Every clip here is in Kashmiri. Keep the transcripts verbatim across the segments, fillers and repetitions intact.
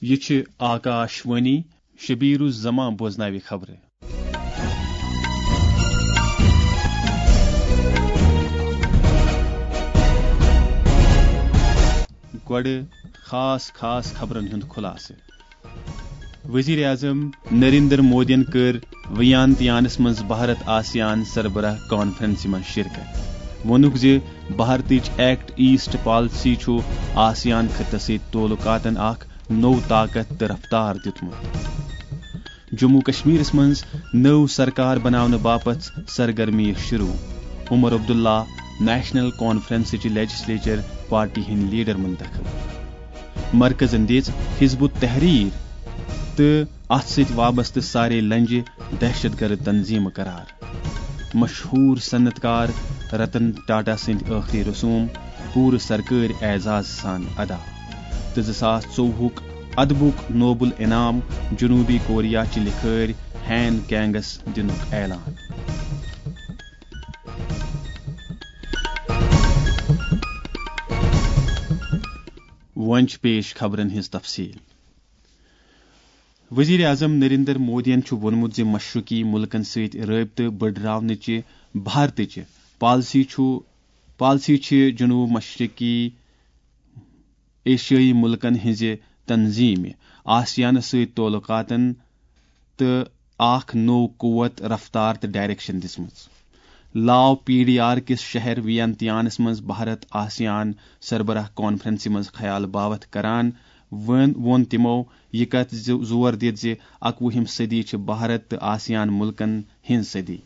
یہِ چھِ آکاش وانی، شبیر الزمان بوزناوِ خبرٕ۔ گۄڈٕ خاص خاص خبرن ہُنٛد خُلاصہٕ۔ وزیر اعظم نریندر مودیَن کٔر ویانتیانس منٛز بھارت آسیان سربراہ کانفرنسہِ منٛز شرکت۔ ووٚنُکھ زِ بھارتٕچ ایکٹ ایسٹ پالیسی چھُ آسیان خطس سۭتۍ تعلقاتن اکھ نوٚو طاقت تہٕ رفتار دیُتمُت۔ جموں کشمیرس منٛز نٔو سرکار بناونہٕ باپتھ سرگرمی شروع۔ Omar Abdullah national کانفرنسٕچ legislature party ہٕنٛدۍ لیڈر منتخب۔ مرکزن دِژ حزب التحریر تہٕ اتھ سۭتۍ وابستہٕ سارے لنجہِ دہشت گرد تنظیمہٕ قرار۔ مشہوٗر صنعت کار رتن ٹاٹا سٕنٛدۍ ٲخری رسوم پوٗرٕ سرکٲرۍ اعزاز سان ادا۔ تہٕ زٕ ساس ژوٚوُہُک ادبُک نوبل انعام جنوبی کوریا چہِ لکھٲرۍ ہین کینگس دِنُک اعلان۔ وۄنۍ چھِ پیش خبرن ہٕنٛز تفصیل۔ وزیر اعظم نریندر مودیَن چھُ ووٚنمُت زِ مشرقی ملکن سۭتۍ رٲبطہٕ بٔڈراونٕچہِ بھارتٕچہِ پالیسی چھُ، پالیسی چھِ جنوب مشرقی ایشیٲیی ملکن ہٕنٛزِ تنظیمہِ آسیانس سۭتۍ تعلقاتن تہٕ اکھ نوٚو قوت، رفتار تہٕ ڈائریکشن دِژمٕژ۔ لاو پی ڈی آر کِس شہر ویانتیانس منٛز بھارت آسیان سربراہ کانفرنسہِ منٛز خیال باوتھ کران وۄن-، ووٚن تِمو یہِ کتھ زِ-، زور دِتھ زِ اکوُہِم صدی چھِ بھارت تہٕ آسیان ملکن ہٕنٛز صدی۔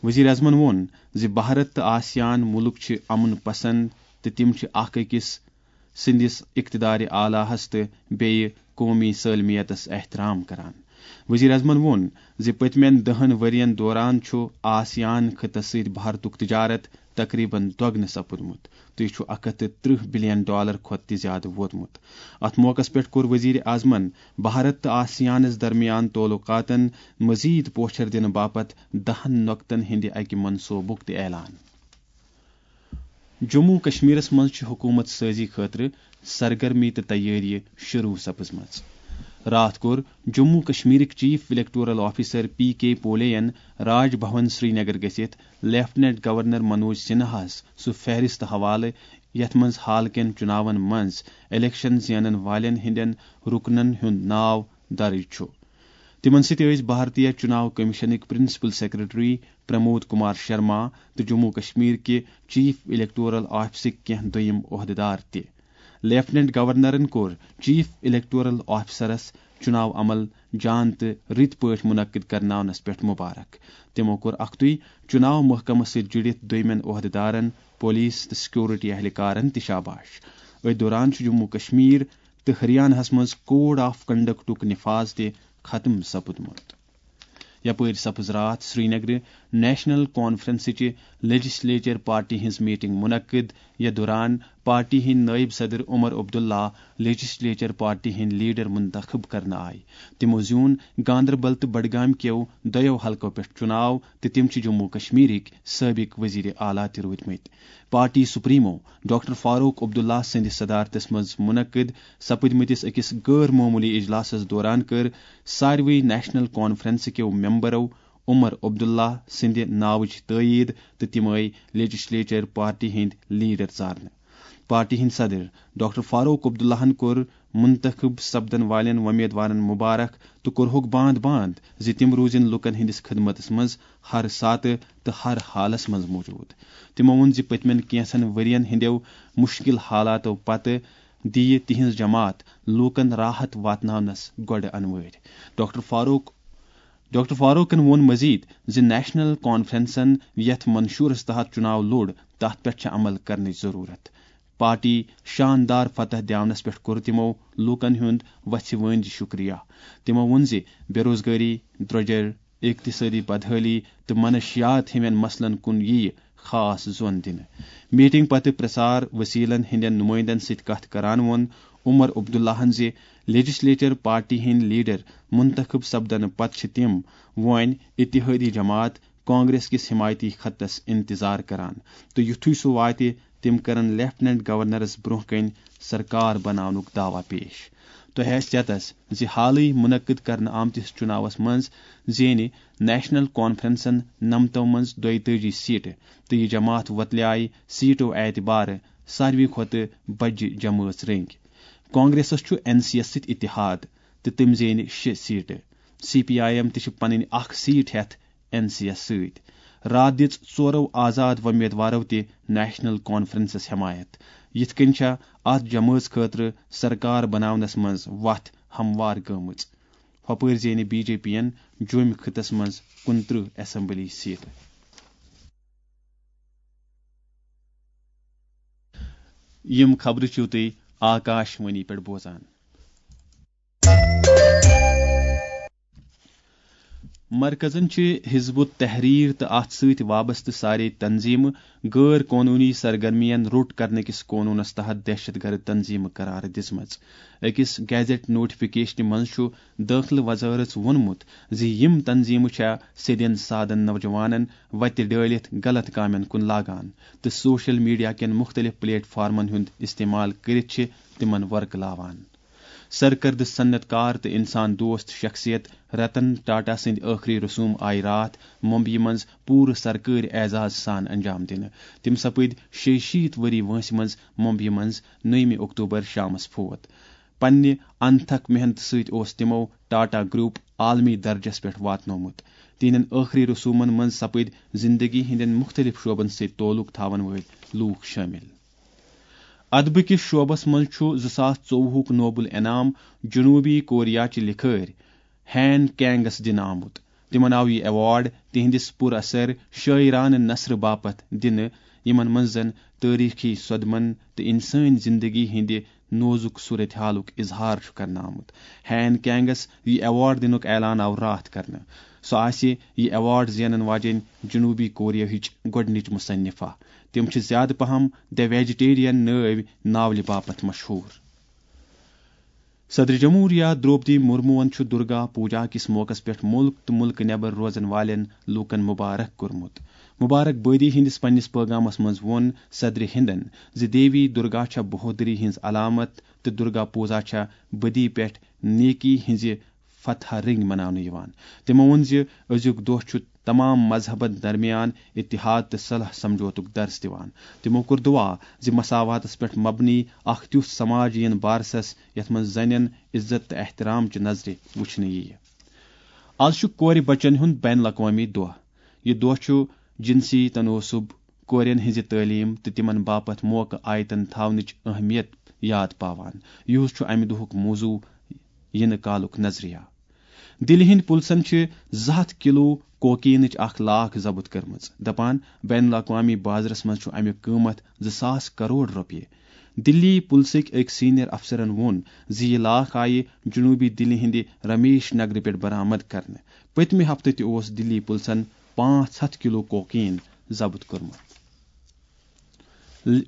وزیر اعظمن ووٚن زِ بھارت تہٕ آسیان ملک چھِ امن پسند تہٕ تِم چھِ اکھ أکِس سٕنٛدِس اقتدارِ اعلیٰ ہس تہٕ بیٚیہِ قومی سٲلمیتس احترام کران۔ وزیر اعظمن ووٚن زِ پٔتمٮ۪ن دَہن ؤرین دوران چھُ آسیان خطس سۭتۍ بھارتُک تجارت تقریباً دۄگنہٕ سپُدمُت تہٕ یہِ چھُ اکھ ہتھ تہٕ ترٕٛہ بلین ڈالر کھۄتہٕ تہِ زیادٕ ووتمُت۔ اتھ موقعس پٮ۪ٹھ کوٚر وزیر اعظمن بھارت تہٕ آسیانس درمیان تعلقاتن مزید پوچھر دِنہٕ باپتھ دَہن نۄقطن ہٕنٛدِ اکہِ منصوبُک تہِ اعلان۔ جموں و کشمیرس منٛز چھِ حکومت سٲزی خٲطرٕ سرگرمی تہٕ تیٲری شروع سپٕزمٕژ۔ راتھ کوٚر جموں و کشمیرٕکۍ چیف الیکٹورل آفیسر پی کے پولے ین راج بھون سرینگر گٔژھِتھ لیفٹیننٹ گورنر منوج سنہاہس سُہ فہرست حوالہٕ یتھ منٛز حال کٮ۪ن چُناون منٛز الیکشن زینن والٮ۪ن ہٕنٛدٮ۪ن رُکنن ہُنٛد ناو درج چھُ۔ تِمن سۭتۍ ٲسۍ بھارتیہ چُناو کمیشنٕکۍ پرنسپل سیکرٹری پرمود کمار شرما تہٕ جموں و کشمیر کہِ چیف الیکٹورل آفسٕکۍ کینٛہہ دوٚیم عہدٕدار تہِ۔ لیفٹیننٹ گورنرن کوٚر چیف الیکٹورل آفسرس چُناو عمل جان تہٕ رٕتۍ پٲٹھۍ منعقد کرناونس پٮ۪ٹھ مبارک۔ تِمو کوٚر اکھتُے چُناو محکمس سۭتۍ جُڑِتھ دوٚیمٮ۪ن عہدٕدارن، پولیس تہٕ سیکورٹی اہلکارن تہِ شاباش۔ أتھۍ دوران چھُ جموں و کشمیر تہٕ ہریاناہس منٛز کوڈ آف کنڈکٹُک نفاذ تہِ ختم سپُدمُت۔ یپٲرۍ سپٕز راتھ سرینگرٕ نیشنل کانفرنسٕچہِ لیجسلیچر پارٹی ہٕنٛز میٹنگ منعقد، یتھ دوران پارٹی ہٕنٛدۍ نٲیِب صدر عمر عبداللہ لیجسلیچر پارٹی ہٕنٛدۍ لیڈر منتخب کرنہٕ آے۔ تِمو زیوٗن گاندربل تہٕ بڈگام کیو دۄیو حلقو پٮ۪ٹھ چُناو تہٕ تِم چھِ جموں و کشمیرٕکۍ سٲبق وزیر اعلیٰ تہِ روٗدمٕتۍ۔ پارٹی سپریمو ڈاکٹر فاروق عبداللہ سٕنٛدِ صدارتس منٛز منعقد سپٕدمٕتِس أکِس غٲر معموٗلی اجلاسس دوران کٔر ساروٕے نیشنل کانفرنس کیو ممبرو عمر عبداللہ سٕنٛدِ ناوٕچ تٲیید تہٕ تِم آے لیجسلیچر پارٹی ہٕنٛدۍ لیڈر ژارنہٕ۔ پارٹی ہٕنٛدۍ صدر ڈاکٹر فاروق عبداللہن کوٚر منتخب سپدن والٮ۪ن وۄمیدوارن مبارک تہٕ کوٚرہوکھ باند باند زِ تِم روٗزِن لوٗکن ہٕنٛدِس خدمتس منٛز ہر ساتہٕ تہٕ ہر حالس منٛز موجود۔ تِمو ووٚن زِ پٔتمٮ۪ن کینٛژن ؤرین ہٕنٛدٮ۪و مُشکِل حالاتو پتہٕ دِیہِ تِہنٛز جماعت لوٗکن راحت واتناونس گۄڈٕ انوٲرۍ۔ ڈاکٹر فاروق، ڈاکٹر فاروقن ووٚن مزید زِ نیشنل کانفرنسن یتھ منشورس تحت چُناو لوٚڑ، تتھ پٮ۪ٹھ چھِ عمل کرنٕچ ضروٗرت۔ پارٹی شاندار فتح دِیاونس پٮ۪ٹھ کوٚر تِمو لوٗکن ہُنٛد وژھِ وٲنٛجہِ شُکریہ۔ تِمو ووٚن زِ بے روزگٲری، درٛۄجر، اقتصٲدی بدحٲلی تہٕ منشیات ہِوٮ۪ن مسلن کُن یِیہِ خاص زون دِنہٕ۔ میٹنگ پتہٕ پرسار وسیلن ہٕنٛدٮ۪ن نمٲیندن سۭتۍ کتھ کران ووٚن عمر عبداللہن زِ لیجسلیچر پارٹی ہٕنٛدۍ لیڈر منتخب سپدنہٕ پتہٕ چھِ تِم وۄنۍ اتحادی جماعت کانگریس کِس حمایتی خطس انتظار کران تہٕ یُتھُے سُہ واتہِ، تِم کرن لیفٹیننٹ گورنرس برونٛہہ کنہِ سرکار بناونُک دعویٰ پیش۔ تۄہہِ آسہِ چیتس زِ حالٕے منعقد کرنہٕ آمتِس چُناوس منٛز زینہِ نیشنل کانفرنسن نمتو منٛز دۄیتٲجی سیٹہٕ تہٕ یہِ جماعت وۄتلیایہِ سیٹو اعتبارٕ ساروی کھۄتہٕ بجہِ جمٲژ رٔنگۍ۔ کانگریسس چھُ این سی یس سۭتۍ اتحاد تہٕ تٔمۍ زینہِ شےٚ سیٹہٕ۔ سی پی آئی ایم تہِ چھِ پنٕنۍ اکھ سیٹ ہٮ۪تھ این سی یس سۭتۍ۔ راتھ دِژ ژورو آزاد وۄمیدوارو تہِ نیشنل کانفرنسس حمایت۔ یِتھ کٔنۍ چھےٚ اتھ جمٲژ خٲطرٕ سرکار بناونس منٛز وتھ ہموار گٔمٕژ۔ ہۄپٲرۍ زینہِ بی جے پی ین جوٚمۍ خطس منٛز کُنترٕہ اسمبلی سیٹہٕ۔ یِم خبرٕ چھِو تُہۍ آکاش وانی پٮ۪ٹھ بوزان۔ مرکزن چھِ حزب التحریر تہٕ اتھ سۭتۍ وابستہٕ سارے تنظیمہٕ غٲر قونوٗنی سرگرمیَن روٚٹ کرنہٕ کِس قونوٗنس تحت دہشت گرد تنظیمہٕ قرار دِژمٕژ۔ أکِس گیزٹ نوٹیفکیشنہِ منٛز چھُ دٲخلہٕ وزارت ووٚنمُت زِ یِم تنظیمہٕ چھےٚ سیدٮ۪ن سادن نوجوانن وتہِ ڈٲلِتھ غلط کامٮ۪ن کُن لاگان تہٕ سوشل میڈیا کٮ۪ن مُختٔلِف پلیٹ فارمن ہُنٛد استعمال کٔرِتھ چھِ تِمن ورقلاوان۔ سرکردٕ صنعت کار تہٕ انسان دوست شخصیت رتن ٹاٹا سٕنٛدۍ ٲخری رسوم آیہِ راتھ ممبیہِ منٛز پوٗرٕ سرکٲرۍ اعزاز سان انجام دِنہٕ۔ تِم سپٕدۍ شیٚیہِ شیٖتھ ؤری وٲنٛسہِ منٛز ممبیہِ منٛز نٔیمہِ اکتوبر شامس فوت۔ پننہِ انتھک محنتہٕ سۭتۍ اوس تِمو ٹاٹا گروپ عالمی درجس پٮ۪ٹھ واتنومُت۔ تِہنٛدٮ۪ن ٲخری رسومن منٛز سپٕدۍ زندگی ہٕنٛدٮ۪ن مُختٔلِف شعبن سۭتۍ تعلق تھاون وٲلۍ لوٗکھ شٲمِل۔ ادبہٕ کِس شعبس منٛز چھُ زٕ ساس ژوٚوُہُک نوبل انعام جنوبی کوریا چہِ لکھٲرۍ ہین کینگس دِنہٕ آمُت۔ تِمن آو یہِ ایوارڈ تِہنٛدِس پُر اثر شٲعرانہٕ نثرٕ باپتھ دِنہٕ، یِمن منٛز زن تٲریخی صدمن تہٕ انسٲنۍ زندگی ہٕنٛدِ نوزُک صورتحالُک اظہار چھُ کرنہٕ آمُت۔ ہین کینگس یہِ ایوارڈ دِنُک اعلان آو راتھ کرنہٕ۔ سۄ آسہِ یہِ ایوارڈ زینن واجیٚنۍ جنوبی کوریاہٕچ گۄڈٕنِچ مصنفہ۔ تِم چھِ زیادٕ پہم دی ویجیٹیرین نٲوۍ ناولہِ باپتھ مشہوٗر۔ صدر جمہوریہ درٛوپدی مُرموٗہن چھُ درگا پوٗجا کِس موقعس پٮ۪ٹھ مُلک تہٕ مُلکہٕ نٮ۪بر روزن والٮ۪ن لوٗکن مُبارک کوٚرمُت۔ مُبارک بٲدی ہٕنٛدِس پننِس پٲغامس منٛز ووٚن صدرِ ہِندن زِ دیوی درگا چھےٚ بہودری ہٕنٛز علامت تہٕ درگا پوٗزا چھےٚ بدی پٮ۪ٹھ نیکی ہٕنٛزِ فتح رٔنگۍ مناونہٕ یِوان۔ تِمو ووٚن زِ أزیُک دۄہ چھُ تمام مذہبن درمیان اتحاد تہٕ صلح سمجھوتُک درس دِوان۔ تِمو کوٚر دُعا زِ مساواتس پٮ۪ٹھ مبنی اکھ تیُتھ سماج یِن بارسس، یتھ منٛز زنٮ۪ن عزت تہٕ احترام چہِ نظرِ وٕچھنہٕ یِیہِ۔ از چھُ کورِ بچن ہُنٛد بین الاقوامی دۄہ۔ یہِ دۄہ چھُ جنسی تناسب، کورٮ۪ن ہٕنٛزِ تعلیٖم تہٕ تِمن باپتھ موقعہٕ آیتن تھاونٕچ اہمیت یاد پاوان۔ یِہُس چھُ امہِ دۄہُک موضوع یِنہٕ کالُک نظریہ۔ دِلہِ ہٕنٛدۍ پُلسن چھِ زٕ ہتھ کِلوٗ کوکینٕچ اکھ لاکھ ضبط کٔرمٕژ۔ دپان، بین الاقوامی بازرس منٛز چھُ امیُک قۭمتھ زٕ ساس کرور رۄپیہِ۔ دِلی پُلسٕکۍ أکۍ سینئر افسرن ووٚن زِ یہِ لاکھ آیہِ جنوبی دِلہِ ہٕنٛدِ رمیش نگرٕ پٮ۪ٹھ برآمد کرنہٕ۔ پٔتمہِ ہفتہٕ تہِ اوس دِلی پُلسن پانٛژھ ہتھ کِلوٗ کوکین ضبط کوٚرمُت۔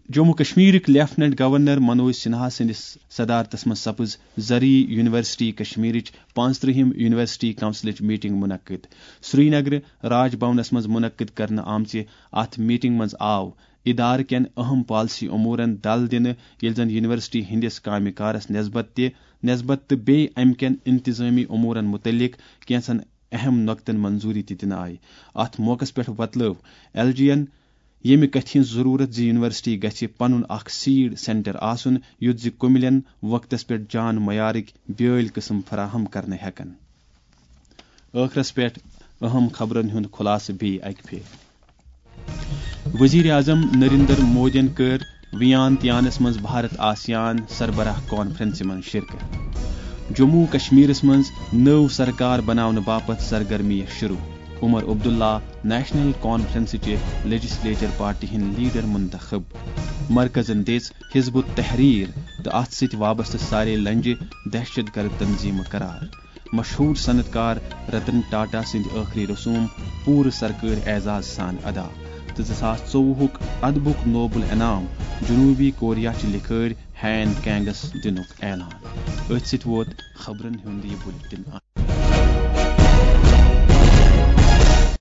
جموں کشمیرٕکۍ لیفٹیننٹ گورنر منوج سنہا سٕنٛدِس صدارتس منٛز سپٕز زرعی یونیورسٹی کشمیرٕچ پانٛژترٕٛہِم یونیورسٹی کونسلٕچ میٹنگ منعقد۔ سرینگرٕ راج بھونس منٛز منعقد کرنہٕ آمژِ اتھ میٹنگ منٛز آو ادارٕ کٮ۪ن اہم پالیسی امورن دل دِنہٕ، ییٚلہِ زن یونیورسٹی ہٕنٛدِس کامہِ کارس نسبت تہِ، نسبت تہٕ بیٚیہِ امہِ کٮ۪ن انتظٲمی امورن متعلق کینٛژن اہم نۄقطن منظوری تہِ دِنہٕ آیہِ۔ اتھ موقعس پٮ۪ٹھ وۄتلٲو ایل جی ین ییٚمہِ کتھِ ہٕنٛز ضروٗرت زِ یونیورسٹی گژھِ پنُن اکھ سیڈ سینٹر آسُن، یُتھ زِ کُمِلٮ۪ن وقتس پٮ۪ٹھ جان معیارٕکۍ بیٲلۍ قٕسم فراہم کرنہٕ ہٮ۪کن۔ ٲخرس پٮ۪ٹھ اہم خبرن ہُنٛد خلاصہٕ بیٚیہِ اکہِ پھِرِ۔ وزیر اعظم نریندر مودیَن کٔر ویان تیانس منٛز بھارت آسیان سربراہ کانفرنسہِ منٛز شرکت۔ جموں کشمیرس منٛز نٔو سرکار بناونہٕ باپتھ سرگرمیہِ شروع۔ Omar Abdullah national کانفرنسٕچہِ legislature party ہٕنٛدۍ لیڈر منتخب۔ مرکزن دِژ حزب التحریر تہٕ اتھ سۭتۍ وابستہٕ سارے لنجہِ دہشت گرد تنظیمہٕ قرار۔ مشہوٗر صنعت کار رتن ٹاٹا سٕنٛدۍ ٲخری رسوم پوٗرٕ سرکٲرۍ اعزاز سان ادا تہٕ زٕ ساس ژوٚوُہُک ادبُک نوبل انعام جنوبی کوریا چہِ لکھٲرۍ ہین کینگس دِنُک اعلان۔ أتھۍ سۭتۍ ووت خبرن ہُنٛد یہِ بُلٹن۔